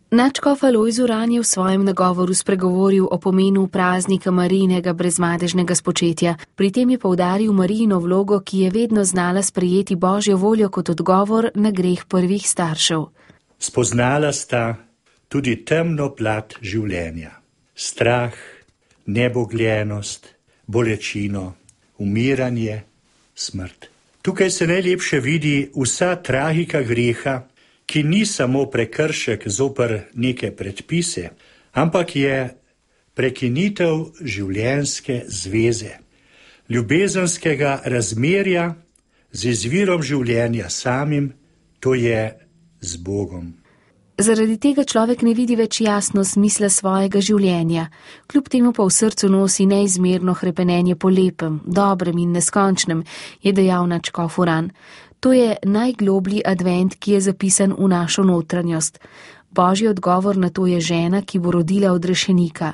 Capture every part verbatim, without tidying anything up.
Nadškof Alojz Uran je v svojem nagovoru spregovoril o pomenu praznika Marijinega brezmadežnega spočetja. Pri tem je poudaril Marijino vlogo, ki je vedno znala sprejeti Božjo voljo kot odgovor na greh prvih staršev. Spoznala sta tudi temno plat življenja. Strah, nebogljenost, bolečino, umiranje, smrt. Tukaj se najlepše vidi vsa tragika greha, ki ni samo prekršek zoper neke predpise, ampak je prekinitev življenjske zveze, ljubezenskega razmerja z izvirom življenja samim, to je z Bogom. Zaradi tega človek ne vidi več jasno smisla svojega življenja, kljub temu pa v srcu nosi neizmerno hrepenenje po lepem, dobrem in neskončnem, je dejal nadškof Uran. To je najgloblji advent, ki je zapisan v našo notranjost. Božji odgovor na to je žena, ki bo rodila odrešenika.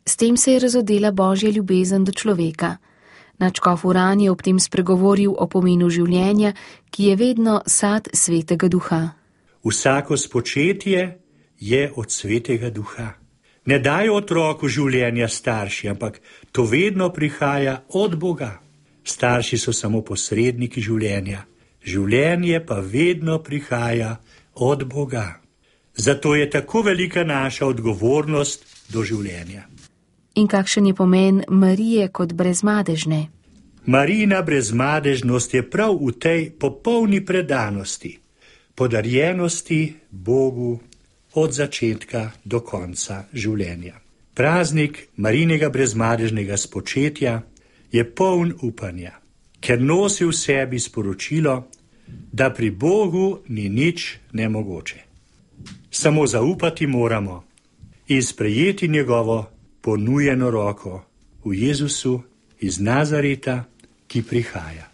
S tem se je razodela Božja ljubezen do človeka. Nadškof Uran je ob tem spregovoril o pomenu življenja, ki je vedno sad svetega duha. Vsako spočetje je od svetega duha. Ne dajo otroku življenja starši, ampak to vedno prihaja od Boga. Starši so samo posredniki življenja. Življenje pa vedno prihaja od Boga. Zato je tako velika naša odgovornost do življenja. In kakšen je pomen Marije kot brezmadežne? Marijina brezmadežnost je prav v tej popolni predanosti, podarjenosti Bogu od začetka do konca življenja. Praznik Marijinega brezmadežnega spočetja je poln upanja, ker nosi v sebi sporočilo, da pri Bogu ni nič nemogoče. Samo zaupati moramo in sprejeti njegovo ponujeno roko v Jezusu iz Nazareta, ki prihaja.